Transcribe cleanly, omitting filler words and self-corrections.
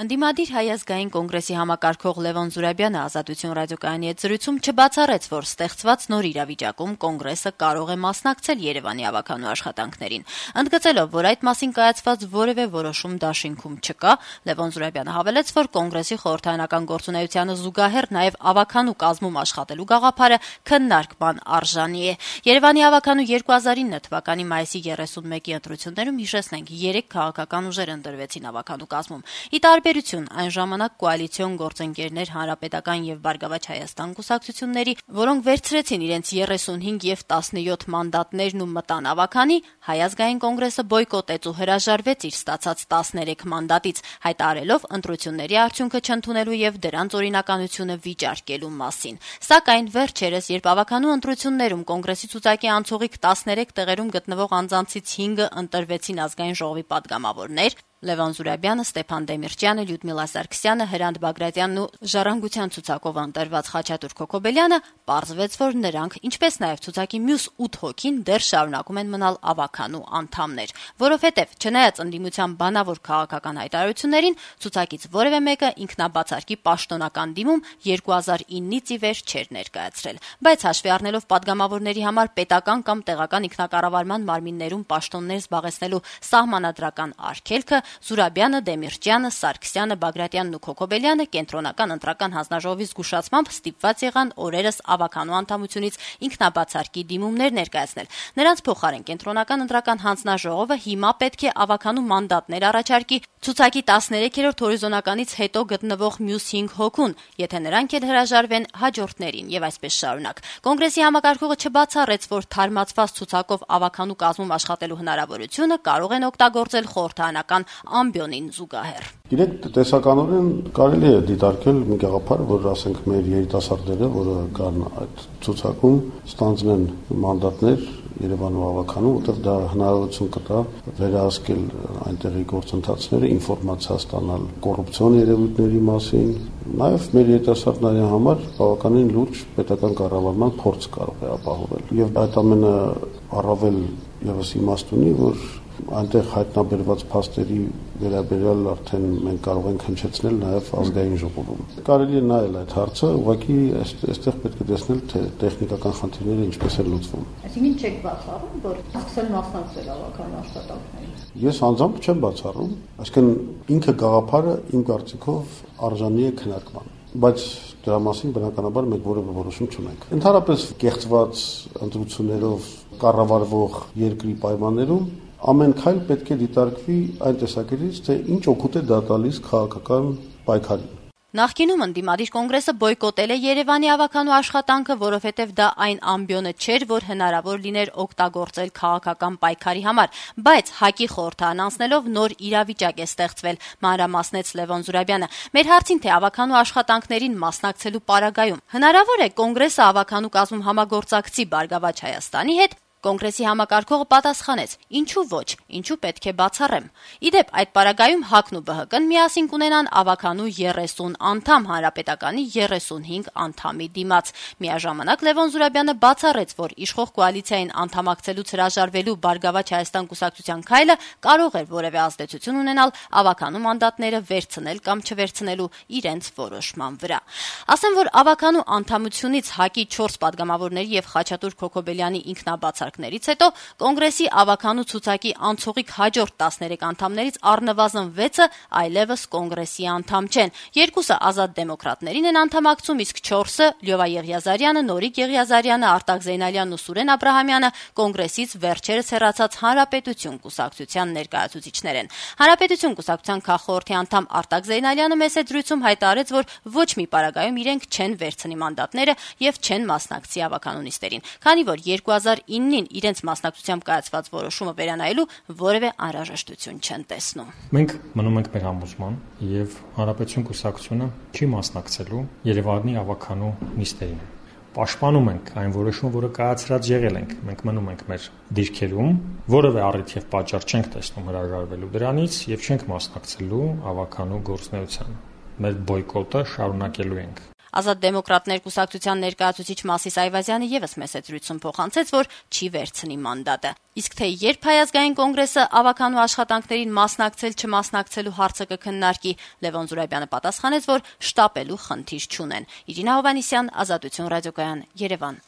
Ընդդիմադիր Հայ ազգային կոնգրեսի համակարգող Լևոն Զուրաբյանը Ազատություն ռադիոկայանի հետ զրույցում չբացառեց, որ ստեղծված նոր իրավիճակում կոնգրեսը կարող է մասնակցել Երևանի ավականու աշխատանքներին։ Ընդգծելով, որ այդ մասին կայացված որևէ որոշում դաշինքում չկա, Լևոն Զուրաբյանը հավելեց, որ կոնգրեսի խորհրդարանական գործունեությանը զուգահեռ նաև ավականու կազմում աշխատելու գաղափարը քննարկման արժանի է։ Երևանի ավականու 2009 թվականի մայիսի 31-ի ընտրություններում, հիշեցնենք, 3 քաղաքական ուժեր ընտրվեցին ավականու կազմում։ Տարբերություն այն ժամանակ կոալիցիոն գործընկերներ Հանրապետական եւ Բարգավաճ Հայաստան կուսակցությունների, որոնք վերցրեցին իրենց 35 եւ 17 մանդատներն ու մտան ավականի, Հայ ազգային կոնգրեսը բոյկոտեց ու հրաժարվեց իր ստացած 13 մանդատից, հայտարարելով ընտրությունների արդյունքը չընդունելու եւ դրանց օրինականությունը վիճարկելու մասին։ Սակայն վերջերս, երբ ավականու ընտրություններում կոնգրեսի ցուցակի անցողիկ 13 տեղերում գտնվող անձանցից 5-ը ընտրվեցին ազգային ժողովի падգամավորներ, Լևոն Զուրաբյանը, Ստեփան Դեմիրճյանը, Լյուդմիլա Սարգսյանը, Հրանտ Բագրատյանն ու Ժառանգության ցուցակով ընտրված Խաչատուր Քոքոբելյանը, պարզվեց, որ նրանք, ինչպես նաև ցուցակի մյուս 8 հոգին դեռ շարունակում են մնալ ավականու անդամներ, որովհետև չնայած ընդդիմության բանավոր քաղաքական հայտարարություններին, ցուցակից որևէ մեկը ինքնաբացարկի պաշտոնական դիմում 2009-ից ի վեր չէր ներկայացրել, բայց հաշվի առնելով падգամավորների համար պետական կամ տեղական ինքնակառավարման մարմիններում պաշտոններ զբաղեցնելու սահմանադրական արգելքը, Զուրաբյանը, Դեմիրճյանը, Սարգսյանը, Բագրատյանն ու Քոքոբելյանը կենտրոնական ընտրական հանձնաժողովի զգուշացմամբ ստիպված եղան օրերս ավականու անդամությունից ինքնաբացարկի դիմումներ ներկայացնել։ Նրանց փոխարեն կենտրոնական ընտրական հանձնաժողովը հիմա պետք է ավականու մանդատներ առաջարկի ցուցակի 13-րդ հորիզոնականից հետո գտնվող մյուս 5 հոգուն, եթե նրանք էլ հրաժարվեն հաջորդներին եւ այսպես շարունակ։ Կոնգրեսի համակարգողը չբացառեց, որ թարմացված ցուցակով ավականու կազմում աշխատելու հնարավորությունը կարող են օգտագործել խորհրդարանական ամբիոնին զուգահեռ։ Իրենք տեսականորեն կարելի է դիտարկել մի գաղափար, որ ասենք մեր երիտասարդները, որը կան այդ ցուցակում, ստանձնեն մանդատներ Երևանում ավականու, որտեղ դա հնարավորություն կտա վերահսկել այնտեղի գործընթացները, ինֆորմացիա ստանալ կոռուպցիոն երևույթների մասին, նաև մեր երիտասարդների համար բավականին լուրջ պետական կառավարման փորձ կարող է ապահովել։ Եվ այդ ամենը առավել եւս իմաստ ունի, որ այնտեղ հայտնաբերված փաստերի վերաբերյալ արդեն մենք կարող ենք հնչեցնել նաև ազգային ժողովում։ Կարելի է նայել այդ հարցը, ուղղակի այստեղ պետք է տեսնել, թե տեխնիկական խնդիրները ինչպես են լուծվում։ Այսինքն չեք բացառում, որ սկսել մասնակցել ավականու աշխատանքներին։ Ես անձամբ չեմ բացառում, այսինքն ինքը գաղափարը իմ կարծիքով արժանի է քննարկման, բայց դրա մասին բնականաբար մենք որևէ որոշում չունենք։ Ընդհանրապես կեղծված ընտրություններով կառավարվող երկրի պայմաններում ամեն քայլ պետք է դիտարկվի այն տեսակետից, թե ինչ օգուտ է դա տալիս քաղաքական պայքարին։ Նախկինում ընդդիմադիր կոնգրեսը բոյկոտել է Երևանի ավականու աշխատանքը, որովհետև դա այն ամբիոնը չէր, որ հնարավոր լիներ օգտագործել քաղաքական պայքարի համար, բայց ՀԱԿ-ի խորհրդարան անցնելով նոր իրավիճակ է ստեղծվել, մանրամասնեց Լևոն Զուրաբյանը։ Մեր հարցին, թե ավականու աշխատանքներին մասնակցելու պարագայում հնարավոր է կոնգրեսը ավականու կազմում համագործակցի Բարգավաճ Հայաստանի հետ, Կոնգրեսի համակարգողը պատասխանեց. ինչու ոչ, ինչու պետք է բացառեմ։ Իդեպ այդ պարագայում ՀԱԿ-ն ու ԲՀԿ-ն միասին կունենան ավականու 30 անդամ, Հանրապետականի 35 անդամի դիմաց։ Միաժամանակ Լևոն Զուրաբյանը բացառեց, որ իշխող կոալիցիային անդամակցելուց հրաժարվելու Բարգավաճ Հայաստան կուսակցության քայլը կարող էր որևէ ազդեցություն ունենալ ավականու մանդատները վերցնել կամ չվերցնելու իրենց որոշման վրա։ Ասեմ, որ ավականու անդամությունից ՀԱԿ-ի 4 падգամավորների եւ Խաչատուր Քոքոբելյանի ինքնաբացարկներից հետո կոնգրեսի ավականու ցուցակի անցողիկ հաջորդ 13 անդամներից առնվազն 6-ը այլևս կոնգրեսի անդամ չեն։ 2-ը ազատ դեմոկրատներին են անդամակցում, իսկ 4-ը Լյովա Եղիազարյանը, Նորիկ Եղիազարյանը, Արտակ Զեյնալյանն ու Սուրեն Աբրահամյանը կոնգրեսից վերջերս հեռացած Հանրապետություն կուսակցության ներկայացուցիչներ են։ Հանրապետություն կուսակցության քաղխորհրդի անդամ Արտակ Զեյնալյանը մեծ զրույցում հայտարարեց, որ ոչ մի պարագայում իրենք չեն վերցնի մանդատները եւ չեն մասնակցի ավականու նիստերին, քանի որ 2009-ին իրենց մասնակցությամբ կայացված որոշումը վերանայելու որևէ անհրաժեշտություն չեն տեսնում։ Մենք մնում ենք մեր համոզման եւ Հանրապետություն կուսակցությունը չի մասնակցելու Երևանի ավականու նիստերին։ Պաշտպանում ենք այն որոշումը, որը կայացրած եղել ենք։ Մենք մնում ենք մեր դիրքերում, որևէ առիթ եւ պատճառ չենք տեսնում հրաժարվելու դրանից եւ չենք մասնակցելու ավականու գործունեությանը։ Մեր բոյկոտը շարունակելու ենք։ Ազատ դեմոկրատներ կուսակցության ներկայացուցիչ Մասիս Այվազյանը եւս մեծ զրույցում փոխանցեց, որ չի վերցնի մանդատը։ Իսկ թե երբ Հայազգային կոնգրեսը ավականու աշխատանքներին մասնակցել-չմասնակցելու հարցը կքննարկի, Լևոն Զուրաբյանը պատասխանեց, որ շտապելու խնդիր չունեն։ Իրինա Հովհաննիսյան, Ազատություն ռադիոկայան, Երևան։